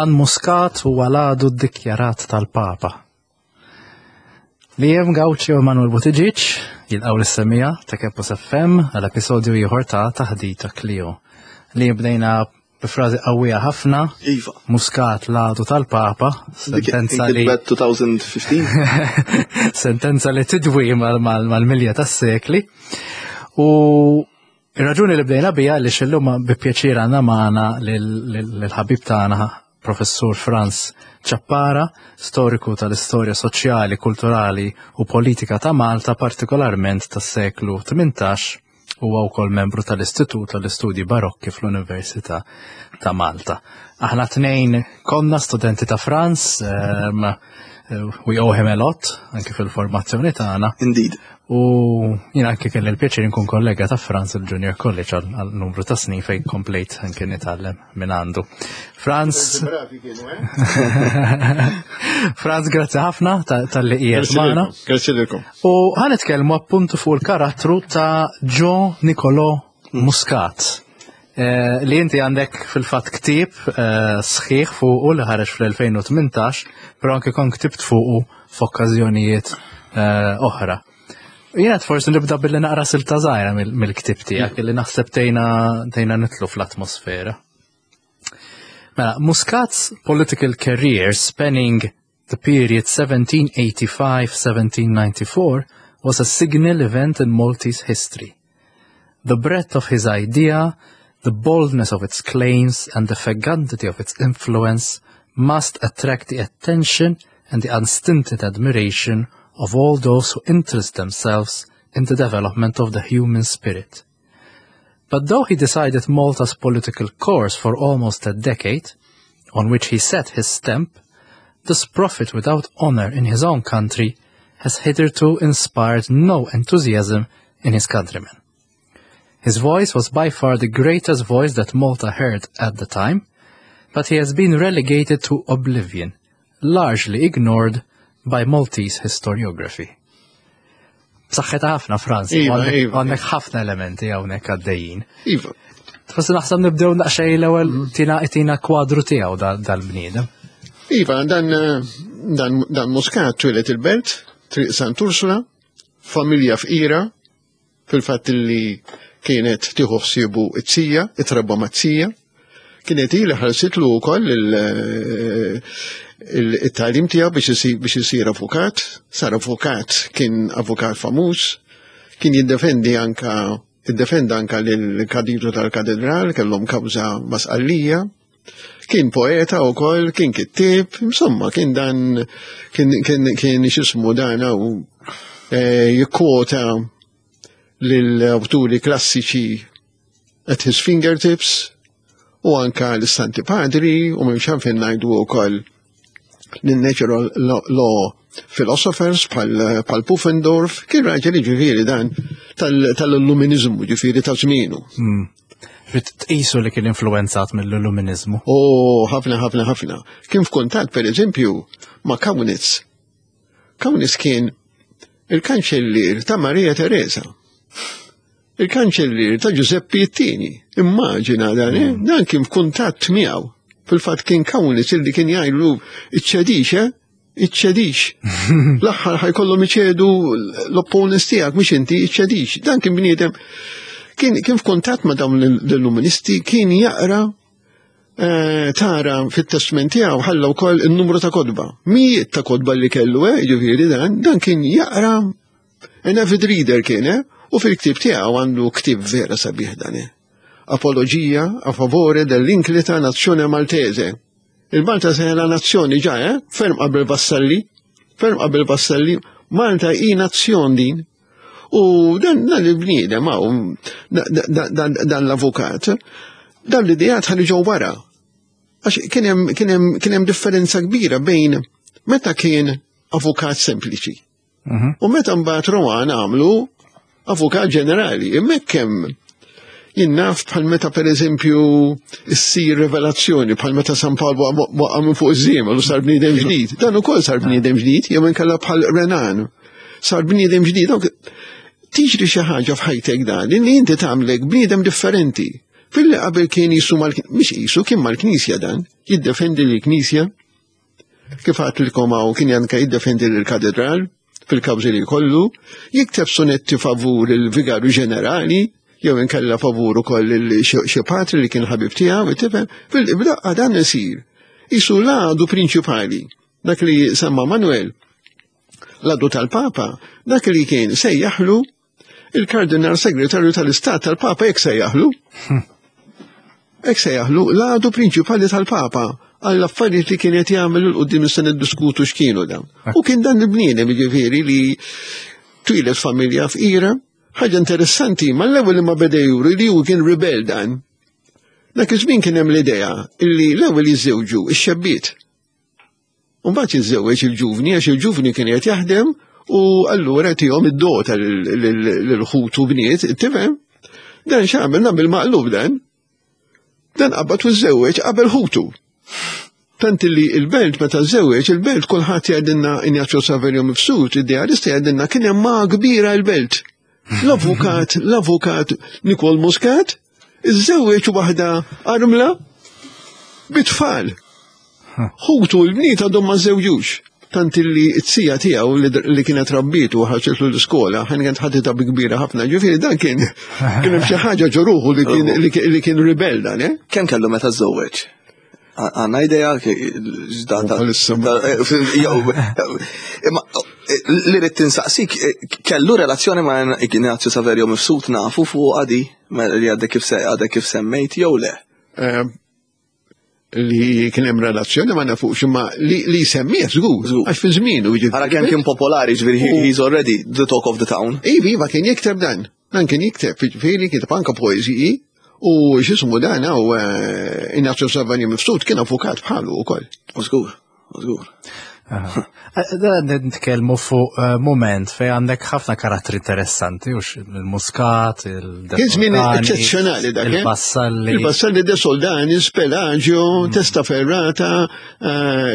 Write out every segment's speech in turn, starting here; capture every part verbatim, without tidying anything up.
Dan Muscat huwa l-għadu ddikjarat tal-Papa. Liam Gauci u Manuel Buttigieg jilqgħu lis-semmiegħa ta' Campus F M għal episodju ieħor ta' Taħdita Klio. Li bdejna b'frażi qawwija ħafna, Iva. Muscat l-għadu tal-Papa, sentenza li Kitbet elfejn u ħmistax. Sentenza li tidwi mal-milja tas-sekli. U ir-raġuni li bdejna bija li xillum bi pjaċir għandna magħna lill-ħabib tagħna, Professur Frans Ciappara, storiku tal-istorja soċjali, kulturali u politika ta' Malta, partikolarment tas-seklu tmintax, huwa wkoll membru tal-Istitut tal-Istudji Barokki fl-Università ta' Malta. Aħna tnejn konna studenti ta' Frans, um, we owe him a lot, anke fil-formazzjoni tagħna. Indeed. U jien anke kelli l-pjaċir nkun kollega ta' Frans il-Junior College għal għal numru ta' snin, fejn komplejt anke nitgħallem minn għandu. Frans, Frans, grazzi ħafna ta- talli qiegħed magħna. Grazzi lilkom. U ħa nitkellmu appuntu fuq il-karattru ta' Gio Nicolò Muscat. Eh, li inti għandek fil-fatt ktieb eh, sħiħ fuqu li ħareġ fl-elfejn u tmintax, però anke kon ktibt fuqu f'okkażjonijiet eh, oħra. Jiena forsi nibda billi naqra silta żgħira mill- mill-ktieb tiegħek li naħseb tgħinna tgħinna nidħlu fl-atmosfera. Mela, Muscat's political career, spanning the period seventeen eighty-five seventeen ninety-four, was a signal event in Maltese history. The breadth of his idea, the boldness of its claims, and the fecundity of its influence must attract the attention and the unstinted admiration of all those who interest themselves in the development of the human spirit. But though he decided Malta's political course for almost a decade, on which he set his stamp, this prophet without honor in his own country has hitherto inspired no enthusiasm in his countrymen. His voice was by far the greatest voice that Malta heard at the time, but he has been relegated to oblivion, largely ignored by Maltese historiography. B'saħħitha ħafna, Frans, Iva, għandek iva. għandek ħafna elementi hawnhekk għaddejjin. Iva. Forsi naħseb nibdew naqxej l-ewwel tina tina kwadru tiegħu dal-bniedem. Iva, dan, eh, dan, dan Muscat twieled il-Belt, Triq Sant Ursula, familja fqira, fil-fatt li kienet tieħu ħsiebu it-tija, it-trabba mat-tija, kienet ili ħarsitlu wkoll il- il- it-tagħlim tiegħu biex isir biex isir avukat, sar avukat, kien avukat famuż, kien jiddefendi anka iddefenda anka lil-kadidru tal-katedral, kellhom kawża ma' Sqallija, kien poeta u koll, kien kittib, insomma, kien dan, kien, kien, kien xismu dan u eh, jikkwota l-awturi klassiċi at his fingertips u anka l-Santi Padri u minn xanfin ngħidu u koll l-natural law philosophers bħal bħal Pufendorf, kien raġel ġifieri dan tal-illuminizmu, ġifieri ta' żmienu. Fit tqisu li kien influenzat mill-illuminizmu. U ħafna, ħafna, ħafna. Kien f'kuntatt, per eżempju, ma' Kaunitz. Kaunitz kien il-kanċellier ta' Maria Teresa. Il-kanċellier ta' Giuseppe it-Tieni. Immaġina dan, eh? Dan kien f'kuntatt miegħu. Fil-fatt kien Kaunitz illi kien jgħidlu: "Iċċedix, eh? Iċċedix. L-aħħar ħa jkollhom iċedu l-opponents tiegħek, mhux inti, iċċedix." Dan kien bniedem kien, kien f'kuntatt ma' dawn l-illuministi, kien jaqra eh, tara fit-testment tiegħu ħalla wkoll in-numru ta' kotba. Mijiet ta' kotba li kellu, eh, ġifieri dan, dan kien jaqra, an avid reader kien, eh, u fil-ktieb tiegħu għandu ktieb vera sabiħ dan, eh. Apologia a favore dell'inclita nazione maltese. Il-Malta se la nazzjoni ġa, eh? Ferm qabel Vassalli, ferm qabel Vassalli, Malta hi nazzjon din. U dan, dan il-bniedem, hawn, dan, dan l-avukat, dan l-idejat ħalli ġew wara. Għax kien hemm kien hemm kien hemm differenza kbira bejn meta kien avukat sempliċi u meta mbagħad Rohan għamlu avukat ġenerali. Hemmhekk hemm jien naf bħal meta, per eżempju, issir revelazzjoni, bħal meta San Pawl waqa' minn fuq iż-żiemel u sar bniedem ġdid. Dan ukoll sar bniedem ġdid, jew inkella bħal Renan. Sar bniedem ġdid. Dawk- Tiġri xi ħaġa f'ħajtek dan, li inti tagħmlek bniedem differenti. Filli qabel kien jisu mal mhix jisu kien mal-Knisja dan, jiddefendi l-Knisja. Kif għedtilkom hawn kien anka jiddefendi l-katedral fil-kawżi li kollu, jikteb sonetti favur il-vigarju ġenerali, jew inkella favur ukoll xi patri li kien ħabib tiegħu, tifhem, fil-bdaqqa dan isir. Isu l-għadu prinċipali, dak li semma Manuel, l-għadu tal-Papa, dak li kien sejjaħlu il-kardinal segretarju tal-Istat tal-Papa jek sejjaħlu. Hekk sejjaħlu l-għadu prinċipali tal-Papa għall-affarijiet li kien qed jagħmel 'il quddiem se niddiskutu x'kienu dawn. U kien dan il-bniedem jiġifieri li twieled familja fqira. Ħaġa interessanti, ma l-ewwel li ma beda juri li hu kien rebel dan. Dak iż-żmien kien hemm l-idea illi l-ewwel jiżżewġu ix-xebbiet. U mbagħad jiżżewweġ il-ġuvni għax il-ġuvni kien qed jaħdem u allura tihom id-dota lil ħutu bniet, tifhem? Dan x'għamel nagħmel maqlub dan. Dan qabad u żewweġ qabel ħutu. Tant li il-belt meta żewweġ, il-belt kulħadd jgħidilna Ignazio Saverio Mifsud, idealista jgħidilna kien hemm ma kbira l-belt. L-avukat, l-avukat Nikol Muscat, iżżewweġ waħda armla bit-tfal. Ħutu l-bniet għadhom ma żewġux. Tant li t-sija tiegħu li kienet rabbitu ħarġetlu l-iskola, ħan kienet ħaditha bi kbira ħafna, ġifieri dan kien kien hemm xi ħaġa ġo ruħu li kien li kien rebel dan, eh? Kemm kellu meta żżewweġ? Għandna idea x'data. Imma li rrid tinsaqsik, kellu relazzjoni ma' Ignazio Saverio Mifsud nafu fuq għadi li għadek kif għadek kif semmejt jew le? Li kien hemm relazzjoni ma nafux imma li li semmih żgur, għax fi żmienu jiġifieri. Ara kemm kien popolari, ġifieri he's already the talk of the town. Iva, iva kien jikteb dan. Dan kien jikteb, ġifieri kiteb anka poeżiji u x'ismu dan hawn Ignazio Saverio Mifsud kien avukat bħalu wkoll. Żgur, żgur. Da nitkellmu fuq moment fej għandek ħafna karattri interessanti, ux il-Muscat, il Kien żmien eċċezzjonali dak. Il-Vassalli. Il-Vassalli de Soldanis, Pelagio, Testaferrata,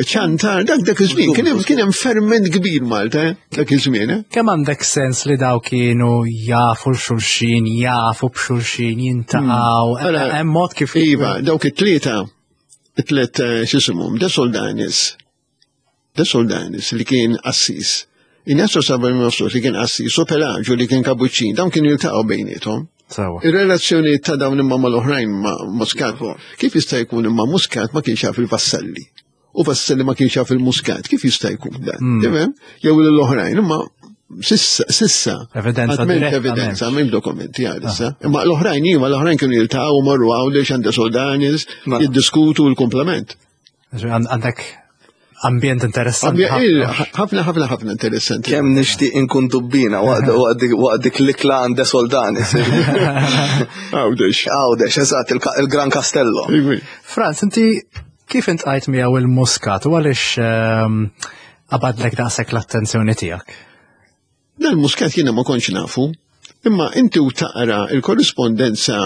Ciantar, dak dak iż-żmien. Kien hemm kien hemm ferment kbir Malta, dak iż-żmien. Kemm għandek sens li daw kienu jafu l-xulxin, jafu b'xulxin, jiltaqgħu, hemm mod kif. Iva, dawk it-tlieta, it-tliet x'isimhom, de Soldanis, De Soldanis li kien assis. Ignazio Saverio Mifsud li kien assis u Pelagio li kien kapuċċin, dawn kienu jiltaqgħu bejniethom. Ir-relazzjoni ta' dawn imma mal-oħrajn ma' Muscat, kif jista' jkun imma Muscat ma kienx jaf il-Vassalli? U Vassalli ma kienx jaf il-Muscat, kif jista' jkun dan? Tifhem? Jew l-oħrajn, imma sissa, sissa. Evidenza diretta. Evidenza, minn dokumenti għalissa. Imma l-oħrajn iva, l-oħrajn kienu jiltaqgħu marru għawdex għand Soldanis, jiddiskutu l-komplement. Għandek ambjent interessanti. Ħafna, ħafna, ħafna interessanti. Kemm nixtieq inkun dubbina waqt dik l-ikla għand Soldanis. Għawdex. Għawdex, eżatt, il-Gran Castello. Franz, inti kif iltqajt miegħu il-Muscat u għaliex qabadlek daqshekk l-attenzjoni tiegħek? Dan Muscat jiena ma kontx nafu, imma inti u taqra il-korrispondenza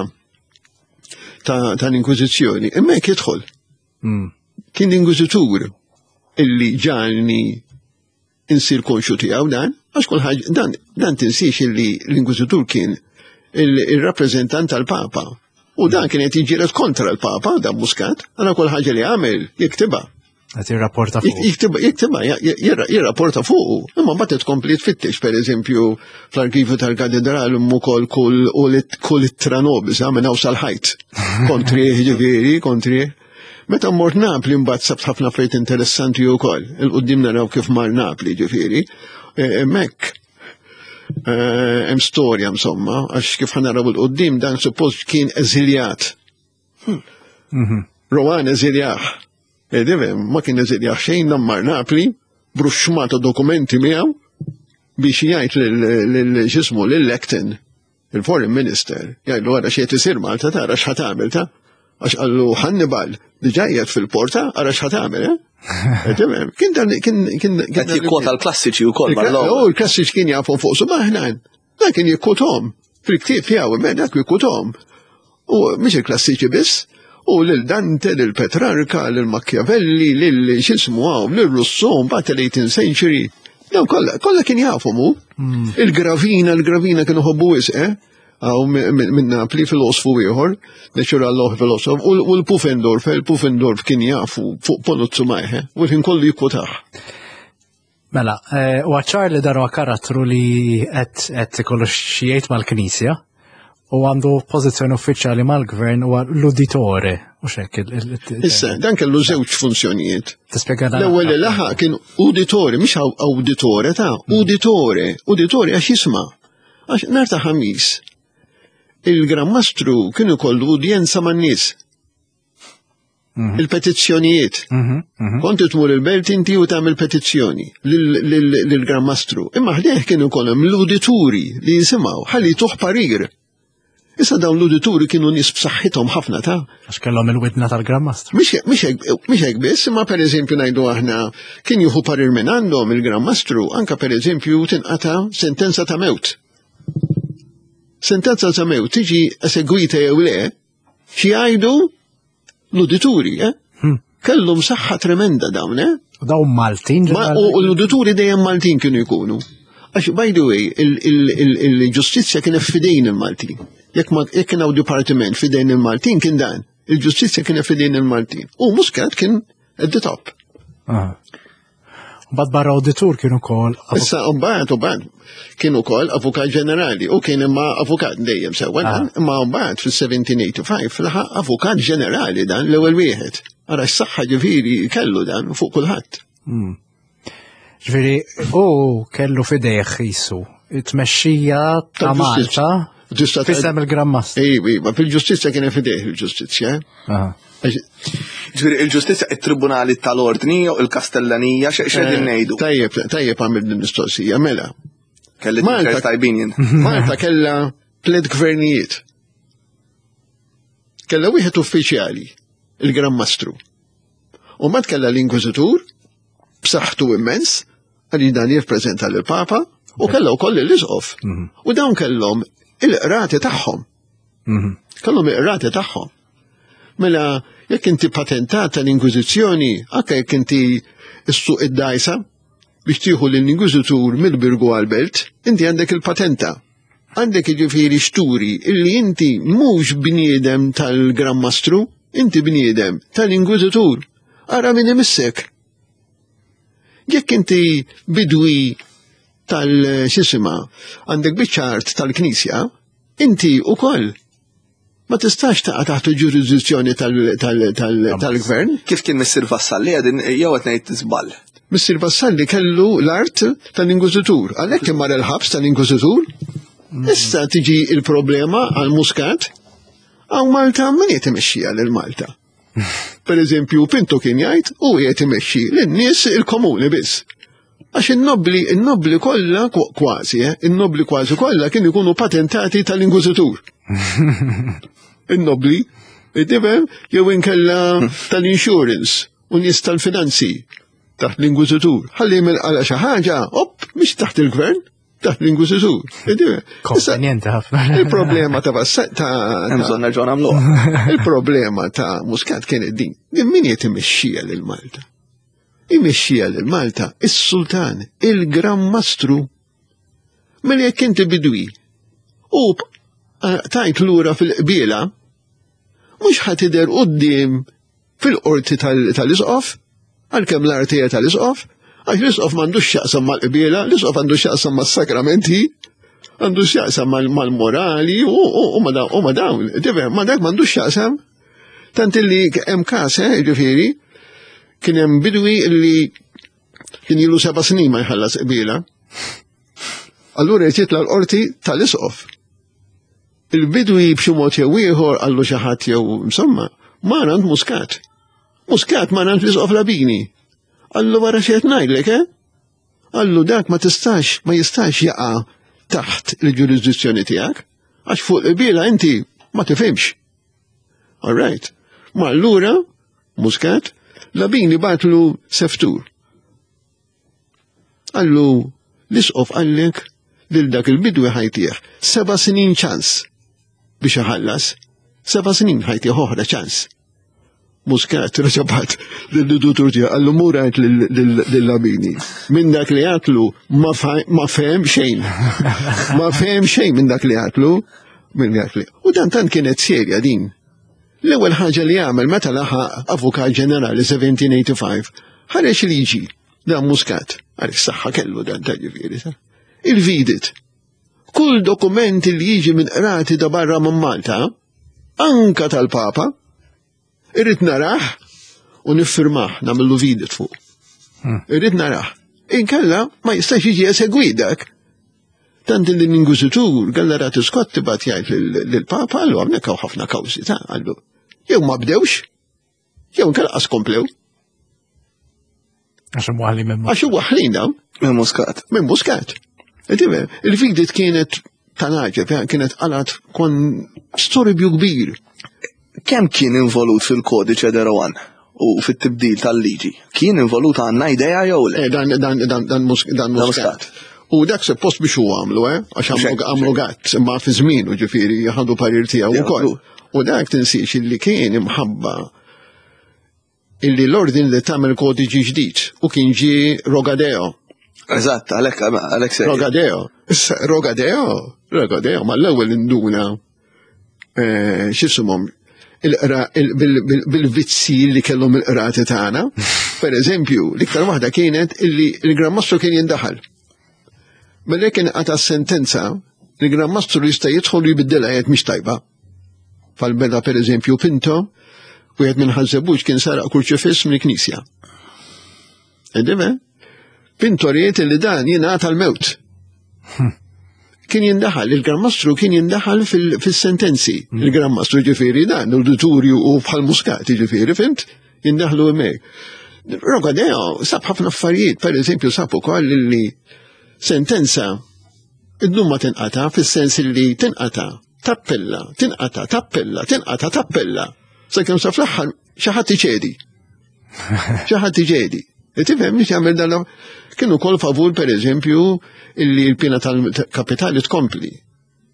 ta' l-Inkwiżizzjoni, imma jekk jidħol. Kien l-Inkwiżitur illi ġagħalni insir konxu tiegħu dan, għax kull ħaġa dan dan tinsiex illi l-Inkwiżitur kien il-rappreżentant tal-Papa. U dan kien qed jiġġieled kontra l-Papa, dan Muscat, għana kull ħaġa li għamel jiktibha. Qed jirrapporta fuq. Jiktibha, jiktibha, jirrapporta fuqu. Imma mbagħad tkompli tfittex, pereżempju, fl-arkivju tal-katedral ukoll kull kull ittra nobis minn hawn sal-ħajt. Kontri, ġifieri, kontri. Meta mort Napli mbagħad sabt ħafna affarijiet interessanti wkoll. 'Il quddiem naraw kif mar Napli, ġifieri. Hemmhekk hemm storja insomma, għax kif ħa naraw 'il quddiem dan suppost kien eżiljat. Rohan eżiljah. Edivem, ma kien eżiljah xejn dan mar Napli, b'ruxxmata dokumenti miegħu biex jgħid lil x'ismu lil Acton, il-Foreign Minister, jgħidlu għara x'qed isir Malta tara x'ħa tagħmel ta' għax qallu Hannibal diġà qiegħed fil-porta ara x'ħa tagħmel, eh? Kien dan kien kien Qed jikkwota l-klassiċi wkoll mal-ewwel. Il-klassiċi kien jafhom fuq subgħajh. Dan kien jikkwothom fil-ktieb tiegħu imma dak jikkwothom. U mhix il-klassiċi biss, u lil Dante, lil Petrarca, lil Machiavelli, lil x'ismu hawn, lil Rousseau, mbagħad l-eighteenth century. Dawn kollha kollha kien jafhom hu. Il-Gravina, il-Gravina kienu ħobbu wisq, eh? Għaw minn Napli filosfu ieħor, natural law filosof, u l-Pufendorf, il-Pufendorf kien jafu fuq Ponuzzu Majhe, u l-ħin kollu jikkwotah. Mela, eh, u ċar li darwa karattru li qed ikollu xi jgħid mal-Knisja u għandu pożizzjoni uffiċjali mal-gvern u l-uditore. U xek. Issa, dan kellu żewġ funzjonijiet. Tispjega dan. L-ewwel li laħaq kien uditore, mhux awditore ta' uditore, uditore għax jisma'. Għax nhar ta' Ħamis, il-Gran Mastru kien ikollu udjenza man-nies. Mhm. Il-petizzjonijiet. Mhm, mhm. Kont tmur il-belt inti u tagħmel petizzjoni lill-Gran Mastru. Imma ħdejh kienu jkollhom l-udituri li jisimgħu ħalli tuħ parir. Issa dawn l-udituri kienu nies b'saħħithom ħafna ta' Għax kellhom il-widna tal-Gran Mastru. Mhux hekk biss, imma pereżempju ngħidu aħna kien jieħu parir minn għandhom il-Gran Mastru anke pereżempju tinqata' sentenza ta' mewt. Sentenza ta' mewt tiġi esegwita jew le, xi jgħidu l-udituri, eh? Hmm. Kellhom saħħa tremenda dawn, eh? U dawn Maltin. Ma, u l-udituri dejjem Maltin kienu jkunu. Għax, by the way, il-ġustizzja kienet fidejn il-Maltin. Jekk ma jekk kien hawn dipartiment fidejn il-Maltin kien dan. Il-ġustizzja kienet fidejn il-Maltin. U Muscat kien at the top. Ah. Mbagħad barra auditur kienu ukoll. Issa mbagħad u mbagħad kien ukoll avukat ġenerali u kien imma avukat dejjem sewwa dan, Ah. imma mbagħad fis-seventeen eighty-five laħaq avukat ġenerali dan l-ewwel wieħed. Ara s-saħħa ġifieri kellu dan fuq kulħadd. Hmm. Ġifieri, u kellu fidejh jisu it-tmexxija ta' Tal-ġustizzja. Malta Ġusta fisem il-Gran Mastru. Ej, ma fil-ġustizzja kien fidejh il-ġustizzja. Ah. Ġifieri il-ġustizzja, it-tribunali tal-ordni jew il-kastellanija, x'qegħdin ngħidu? Tajjeb, tajjeb għamil din mistoqsija, mela. Kelli Malta- t tajbin jien. Malta kella tliet gvernijiet. Kella wieħed uffiċjali, il-Gran Mastru. U mbagħad kella l-Inkwiżitur, b'saħħtu immens, għalli dan jirrappreżenta lill-Papa, u kella wkoll l-Isqof. U dawn kellhom il-qrati tagħhom. Mhm. Kellhom il-qrati tagħhom. Mela, jekk inti patentat tal-Inkwiżizzjoni, anke jekk inti issuq id-dajsa biex tieħu l-Inkwiżitur mill-Birgu għal-Belt, inti għandek il-patenta. Għandek ġifieri xturi illi inti mhux bniedem tal-Gran Mastru, inti bniedem tal-Inkwiżitur. Ara min imissek. Jekk inti bidwi tal-xisima, għandek biċċa art tal-Knisja, inti ukoll ma tistax taqa' taħt il-ġurisdizzjoni tal-gvern. Kif kien Missir Vassalli għedin jew qed ngħid żball? Missir Vassalli kellu l-art tal-Inkwiżitur, għalhekk kien mar il-ħabs tal-Inkwiżitur. Issa tiġi il-problema għal Muscat, għaw Malta min qed imexxija lil Malta? Per eżempju, Pinto kien jgħid u qed imexxi lin-nies il-komuni biss. Għax in-nobli, in-nobli kollha kważi, eh, in-nobli kważi kollha kien ikunu patentati tal-Inkwiżitur. In-nobli, tifhem, jew inkella tal-insurance u nies tal-finanzi taħt l-Inkwiżitur. Ħalli mill-qala xi ħaġa, op, mhix taħt il-gvern, taħt l-Inkwiżitur. Konvenjenti ħafna. Il-problema ta' ta' Hemm bżonn nerġgħu nagħmluha. Il-problema ta' Muscat kienet din. Din min qed imexxija lil Malta? Imexxija lil Malta is-Sultan, il-Gran Mastru. Mela jekk inti bidwi u tajt lura fil-qbiela, mhux ħa tidher quddiem fil-qorti tal-isqof, għalkemm l-artija tal-isqof, għax l-isqof m'għandux x'jaqsam mal-qbiela, l-isqof għandu x'jaqsam mas-sakramenti, għandu x'jaqsam mal-morali u ma dawn, ma dak m'għandux x'jaqsam. Tant illi hemm każ, eh, ġifieri, kien hemm bidwi li kien ilu seba' snin ma jħallas qbiela. Allura jtitla l-qorti tal-isqof. Il-bidwi b'xi mod jew ieħor qallu xi ħadd jew insomma, mar għand Muscat. Muscat mar għand l-isqof Labini. Qallu wara xi qed ngħidlek, eh? Qallu dak ma tistax, ma jistax jaqa' taħt il-ġurisdizzjoni tiegħek, għax fuq il-qbiela inti ma tifhimx. All right. Ma allura, Muscat, Labini bagħatlu seftur. Qallu, l-isqof qallek lil dak il-bidwi ħa jtih seba' snin ċans biex iħallas, seba' snin ħa jtih oħra ċans. Muscat reġa' bagħat lid-duttur tiegħu qallu mur għid lil Labini. Minn dak li għatlu ma fehem xejn. Ma fehem xejn minn dak li għatlu. Minn dak li. U dan tant kienet serja din. L-ewwel ħaġa li għamel meta laħaq Avukat Ġenerali seventeen eighty-five, ħareġ liġi dan Muscat, għalek saħħa kellu dan ta' ġifieri. Ta' Il-vidit. Kull dokument li jiġi minn qrati da barra minn Malta, anka tal-Papa, irrid narah u niffirmah, nagħmillu vidit fuq. Irrid narah. Inkella ma jistax jiġi esegwit dak. Tant li l-Inkwiżitur Gallarati Scotti bagħat jgħid lill-Papa, għallu hawnhekk hawn ħafna kawżi ta' għallu. Jew ma bdewx, jew inkella qas komplew. Għax imwaħli minn Għax waħlin dawn Minn Muscat. Minn Muscat. Tifhem, il-vidit kienet tal-għaġeb, kienet għalat kon storbju kbir. Kemm kien involut fil-kodiċe de Rohan u fit-tibdil tal-liġi? Kien involut, għandna idea jew le? Eh, dan, dan, dan, dan, Mus- dan Muscat. Muscat. U dak suppost biex u għamlu, eh? Għax għamlu Xek, għamlu gatt, imma fi żmienu ġifieri ħadu parir tiegħu Ja, ukoll. U dak tinsiex illi kien imħabba illi l-ordin li tagħmel kodiċi ġdid u kien ġie Rogadeo. Eżatt, għalhekk għalhekk se. Rogadeo. Issa, Rogadeo, Rogadeo, ma l-ewwel induna eh, x'ismhom il-qra il- bil- bil- bil-vizzi li kellhom il-qrati tagħna. Per eżempju, l-iktar waħda kienet illi il-Gran Mastru kien jindaħal. Mela kien qata sentenza, il-Gran Mastru jista' jidħol u jbiddilha jgħid mhix tajba. Fal-beda per eżempju Pinto, wieħed minn Ħaż-Żebbuġ kien saraq kurċifiss mill-Knisja. Edime? Pinto ried li dan jingħata l-mewt. Kien jindaħal, il-Gran Mastru kien jindaħal fil- fil-sentenzi. Il-Gran Mastru ġifieri dan, l-auditorju u bħal Muscat ġifieri, fhimt? Jindaħlu hemmhekk. Rogadeo sab ħafna affarijiet, per eżempju sab ukoll li sentenza id-dum ma tinqata fis-sens li tinqata, tappella, tinqata, tappella, tinqata, tappella. Sakemm sa fl-aħħar xi ħadd iċedi. Xi ħadd iċedi. Tifhem mhix jagħmel dan kienu kol favur, per eżempju, illi l-pena tal-kapitali tkompli,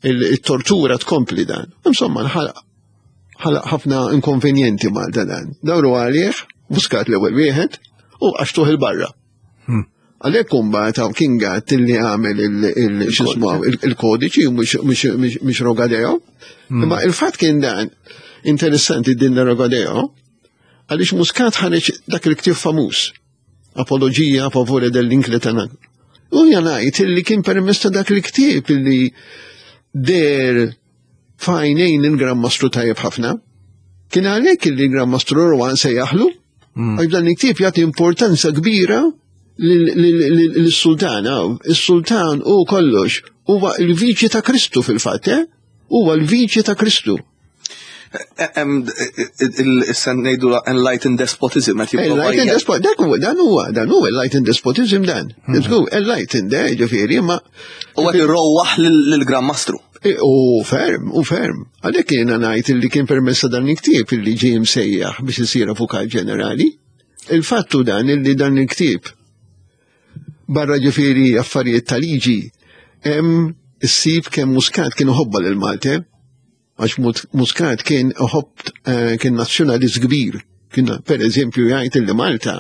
il-tortura tkompli dan. Insomma, nħalaq ħalaq ħafna inkonvenjenti mal dan. Dawru għalih, Muscat l-ewwel wieħed, u għaxtuh il-barra. Għalhekk imbagħad hawn kien Gatt illi għamel il- il-kodiċi u mhux Rogadeo. Imma il-fatt kien dan interessanti din Rogadeo, għaliex Muscat ħareġ dak il-ktieb famuż, Apologia a favore dell'Incletana. U janajt illi kien permess ta' dak il-ktieb illi der f'għajnejn il-Gran Mastru tajjeb ħafna. Kien għalhekk illi il-Gran Mastru Rohan se jaħlu, għax dan il-ktieb jagħti importanza kbira lis-sultan. Il-sultan u kollox huwa il-viċi ta' Kristu fil-fatt, eh? Huwa l-viċi ta' Kristu. Il-sen ngħidu enlightened despotism, qed jipprova Enlightened despotism, dak huwa, dan huwa, dan huwa enlightened despotism dan. Let's go, enlightened, eh, ġifieri, ma U qed irrowaħ lill-Gran Mastru. E, U ferm, u ferm. Għalhekk jiena ngħid illi kien permessa dan il-ktieb illi ġie msejjaħ biex isir avukat ġenerali. Il-fattu dan illi dan il-ktieb barra ġifieri affarijiet ta' liġi hemm issib kemm Muscat kien uħobba lil Malta, għax Muscat kien uħobb eh, kien nazzjonalist kbir. Kien per eżempju jgħid illi Malta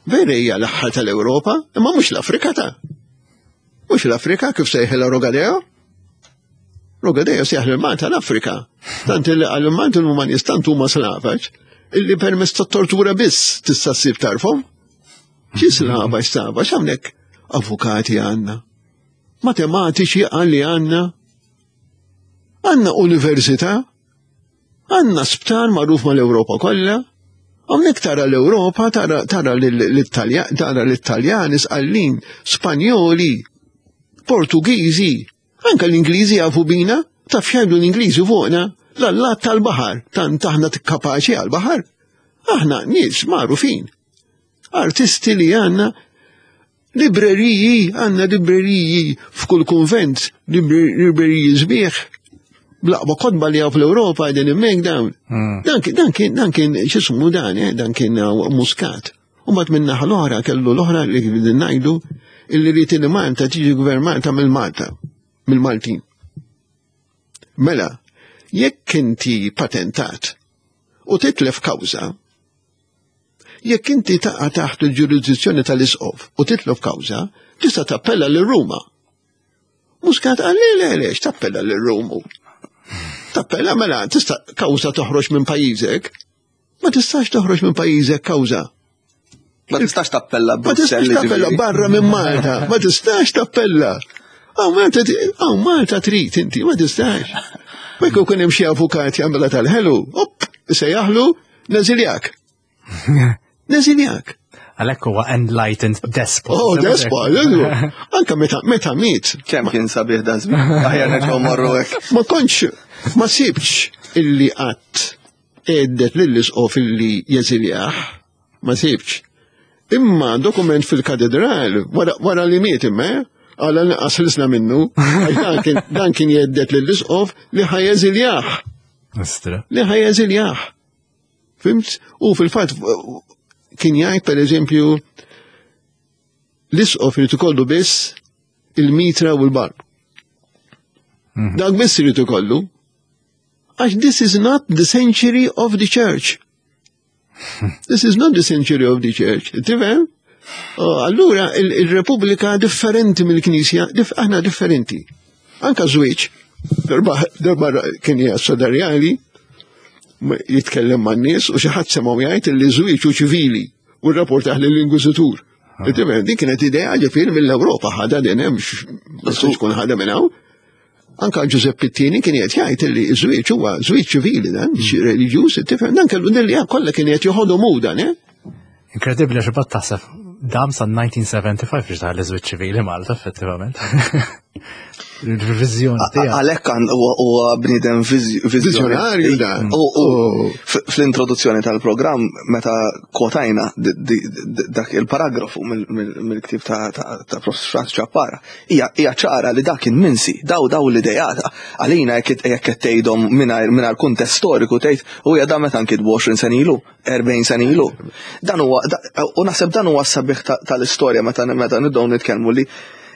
vera hija l-aħħar tal-Ewropa, imma mhux l-Afrika ta' mhux l-Afrika kif sejħilha Rogadeo. Rogadeo sejħ lil Malta l-Afrika. Tant illi għal Malta huma nies tant huma slavaġ illi permezz tat-tortura biss tista' ssib tarfhom. Xi slavaġ slavaġ, hawnhekk avukati għandna. Matematiċi għalli għandna. Għandna università, għandna sptar magħruf mal-Ewropa kollha. Hawnhekk tara l-Ewropa, tara tara l-Italja- tara l-Italjani, Sqallin, Spanjoli, Portugiżi, anka l-Ingliżi jafu bina, taf x'jgħidu l-Ingliżi fuqna, l-allat tal-baħar, tant aħna kapaċi għal-baħar. Aħna nies magħrufin. Artisti li għandna, libreriji, għandna libreriji f'kull konvent, libreriji sbieħ, bl-aqwa kotba li hawn fl-Ewropa għedin immek dawn. Dan kien, dan kien, dan kien, x'ismu dan, eh, dan kien uh, Muscat. U mat minna l-oħra kellu l-oħra li kien ngħidu illi rrit li Malta tiġi gvernata mill-Malta, mill-Maltin. Mela, jekk inti patentat u titlef kawża, jekk inti taqa' taħt il-ġurisdizzjoni tal-isqof u titlef kawża, tista' tappella lil Ruma. Muscat qal le le le, tappella lil Rumu. Tappella mela tista' kawża toħroġ minn pajjiżek. Ma tistax toħroġ minn pajjiżek kawża. Ma tistax tappella Ma tistax Brussell, tappella ġifieri. barra minn Malta. Ma tistax tappella. Aw Malta, aw Malta trid inti, ma tistax. Ma jkun kien hemm xi avukat jagħmilha tal-ħelu, op, sejjaħlu, neżiljak. Neżiljak. Għalhekk huwa enlightened despot. Oh, despot, anka meta meta miet, Kemm kien sabiħ da żmien. Aħjar nerġgħu morru hekk. ma kontx, ma sibx illi qatt għeddet lill-isqof illi jeżiljah, ma sibx. Imma dokument fil-katedral, wara, wara li miet imma, għala nqas ħlisna minnu, għax dan kien, dan kien jgħedded lill-isqof li ħa jeżiljah, Ostra. li ħa jeżiljah. Fhimt? U fil-fatt kien jgħid per eżempju l-isqof irid ikollu biss il-mitra u l-barm. Dak biss irid ikollu. Għax this is not the century of the church. This is not the century of the church. Tifhem? Oh, Allura il- il-Repubblika differenti mill-Knisja, dif aħna differenti. Anka żwieġ. Darba darba kien jgħid ma- jitkellem man-nies u xi ħadd semgħu jgħid li żwieġ hu ċivili u rrapportah lill-Inkwiżitur. Tifhem, din kienet idea ġifieri mill-Ewropa ħadha din hemm ma tistax tkun ħadha minn hawn. Anka Giuseppe Pittini kien qed jgħid li żwieġ huwa żwieġ ċivili dan, mhux reliġjuż, tifhem, dan kellu din li kollha kien qed joħodhom hu dan, eh? Inkredibbli għax imbagħad taħseb dam sa elf disa' mija u sebgħa u ħamsin biex daħal iż-żwieġ ċivili Malta effettivament. Il-viżjoni tiegħek. Għalhekk għan huwa huwa bniedem Viżjonarju dan. U u Oh. f- fl-introduzzjoni tal-programm meta kwotajna di- di- di- dak il-paragrafu mill- mill- mill-ktib ta' ta' ta' Prof. Franz Ciappara, hija hija ċara li dak kien minsi, daw daw l-idejat. Għalina jekk jekk qed tgħidhom mingħajr mingħajr kuntest storiku tgħid u hija da meta nkitbu għoxrin sena ilu, erbgħin sena ilu. Dan huwa da- u naħseb dan huwa s-sabiħ ta- tal-istorja meta meta nibdew nitkellmu li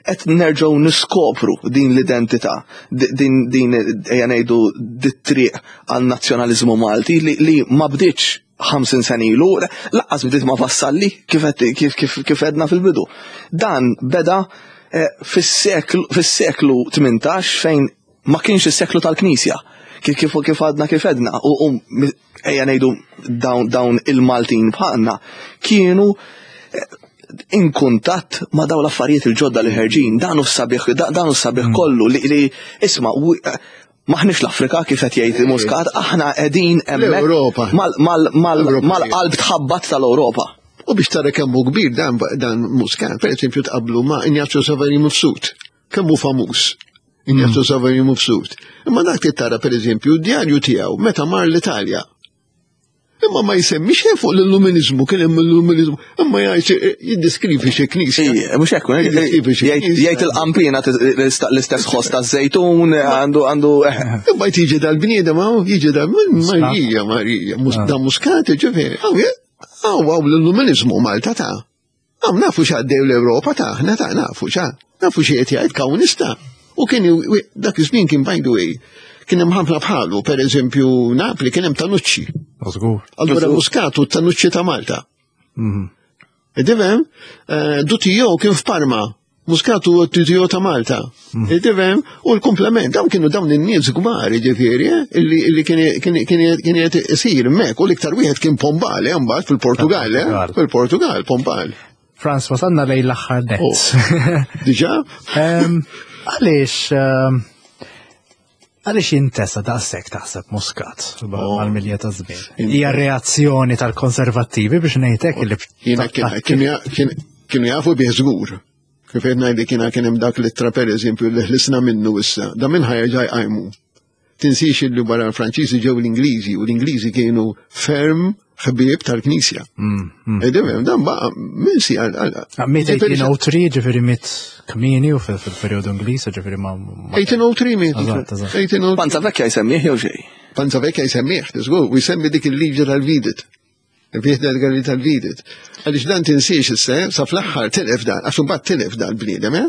qed nerġgħu niskopru din l-identità, di- din din ejja ngħidu dit-triq għal nazzjonaliżmu Malti li, li ma bdietx ħamsin sena ilu, lanqas bdiet ma' Vassalli kif qed- kif kif kif edna fil-bidu. Dan beda eh, fis-seklu fis-seklu tmintax fejn ma kienx is-seklu tal-Knisja. Kif kif kif għadna kif edna u, u mi- ejja ngħidu dawn dawn il-Maltin bħalna kienu eh, in kuntatt ma' daw l-affarijiet il-ġodda li ħerġin, dan hu s-sabiħ, da- dan hu s-sabiħ kollu li, li isma' u- eh, maħniex l-Afrika kif qed jgħid Muscat, aħna qegħdin hemmhekk L-Ewropa. mal- mal- mal- Ewropea. mal-qalb tħabbat tal-Ewropa. U biex tara kemm hu kbir dan dan Muscat, per eżempju tqablu ma' Ignazio Saverio Mifsud, kemm hu famuż. Ignazio Saverio Mifsud. Imma dak li tara per eżempju d-djarju tiegħu meta mar l-Italja. Imma ma jsemmix xejn fuq l-illuminizmu, kien hemm l-illuminizmu, imma jgħid jiddeskrivi xi knisja. Ija, mhux hekk, Jiddeskrivi xi jgħid knisja. jgħid il-qampina l-istess ħoss taż-żejtun, għandu għandu eh, Imma jiġi dal-bniedem hawn, jiġi dal Marija, Marija, Mus- da Muscat, ġifieri, hawn hawn hawn l-illuminizmu Malta ta' Hawn nafu x'għaddew l-Ewropa ta' aħna ta' nafu xa, nafu xi qed jgħid komunista. U kien dak iż-żmien kien by the way, kien hemm ħafna bħalu, per eżempju Napli kien hemm Tanucci. Żgur. Allura Muscat u Tanucci ta' Malta. Tifhem, Du Tillot kien f'Parma, Muscat u Du Tillot ta' Malta. Tifhem, u l-komplement, dawn kienu dawn in-nies kbar, ġifieri, eh, illi illi kien kien kien kien qed isir hemmhekk, u l-iktar wieħed kien Pombal, eh, mbagħad fil-Portugal, eh, Portugal. fil-Portugal, Pombal. Frans, wasalna lejn l-aħħar net. Diġà? Em, Għaliex em, għaliex jintesa daqshekk taħseb Muscat mal-milja ta' żmien? Hija reazzjoni tal-konservattivi biex ngħidlek li Jiena kien- kien- kien- kienu jafu bih żgur. Kif qed ngħidlek jiena kien hemm dak l-ittra pereżempju li ħlisna minnu issa, da minn ħa jerġa' jqajmu. Tinsix illi wara l-Franċiżi ġew l-Ingliżi u l-Ingliżi kienu ferm ħbieb tal-Knisja. Tifhem, dan baqa' minsi għal għal. Miet elf tmien mija u tlieta, ġifieri miet kmieni u fil- fil-periodu Ingliż, ġifieri ma. ma- elf tmien mija u tlieta miet. Eżatt, eżatt. elf tmien mija u tlieta. Panza Vecchia jsemmih jew xejn. Panza Vecchia jsemmih, żgur, u jsemmi dik il-liġi tal-Videt. Viħda l tal-Videt. Għaliex dan tinsiex issa, sa fl-aħħar tilef dan, għax imbagħad tilef dan bniedem, eh?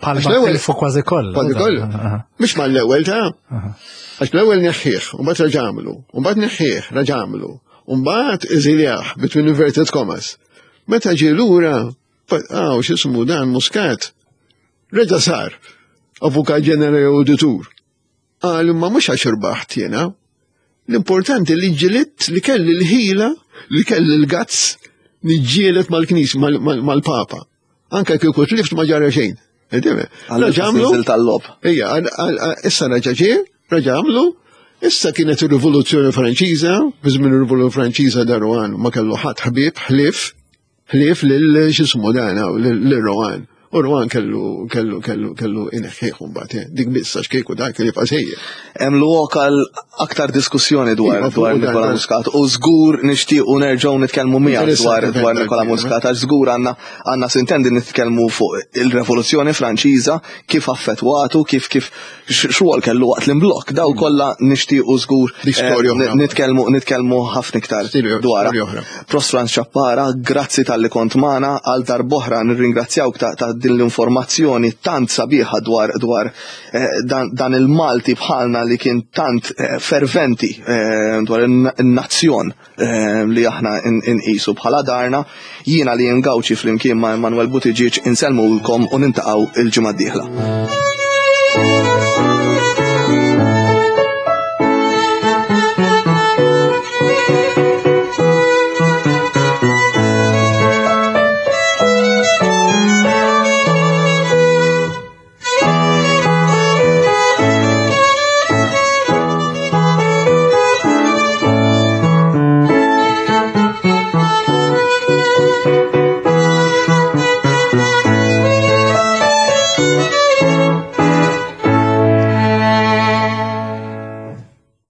Palma Għax l-ewwel- tilfu kważi kollha. Kważi kollha. Aha. Mhux mal-ewwel ta' għax l-ewwel neħħieħ, u mbagħad raġamlu, u mbagħad neħħieħ, raġamlu, u mbagħad eżiljah between inverted commas. Meta ġie lura, għaw x'ismu dan Muscat, reġa' sar avukat ġenerali auditur. Qal imma mhux għax irbaħt jiena. L-importanti li ġilidt li kelli l-ħila, li kelli l-gazz, niġġielet mal-knis, mal-papa. Anka kieku tlift ma ġara xejn. Raġa għamlu. Tal-lob. Ija, issa raġa ġie, raġa għamlu, issa kienet ir-Rivoluzzjoni Franċiża, fi żmien ir-Rivoluzzjoni Franċiża da Rohan ma kellu ħadd ħbieb ħlief, ħlief lil x'ismu dan lil Rohan. U Rohan kellu kellu kellu kellu ineħħieħ mbagħad, dik biss għax kieku dak kien jibqa' sejjer. Hemm lok għal aktar diskussjoni dwar dwar Nikola Muscat u żgur nixtiequ nerġgħu nitkellmu miegħek dwar dwar Nikola Muscat għax żgur għandna għandna sintendi nitkellmu fuq il-Revoluzzjoni Franċiża kif affettwatu, kif kif xogħol kellu waqt l-imblokk, daw kollha nixtiequ żgur nitkellmu nitkellmu ħafna iktar dwar. Profs Frans Ciappara, grazzi talli kont magħna għal darb'oħra nirringrazzjawk ta' din l-informazzjoni tant sabiħa dwar dwar eh, dan, dan il-Malti bħalna li kien tant eh, ferventi eh, dwar in-nazzjon eh, li aħna inqisu bħala darna. Jiena li Gauci flimkien ma' Emanuel Buttigieg insellmulkom u nintaqgħu il-ġimgħa d-dieħla. Thank you.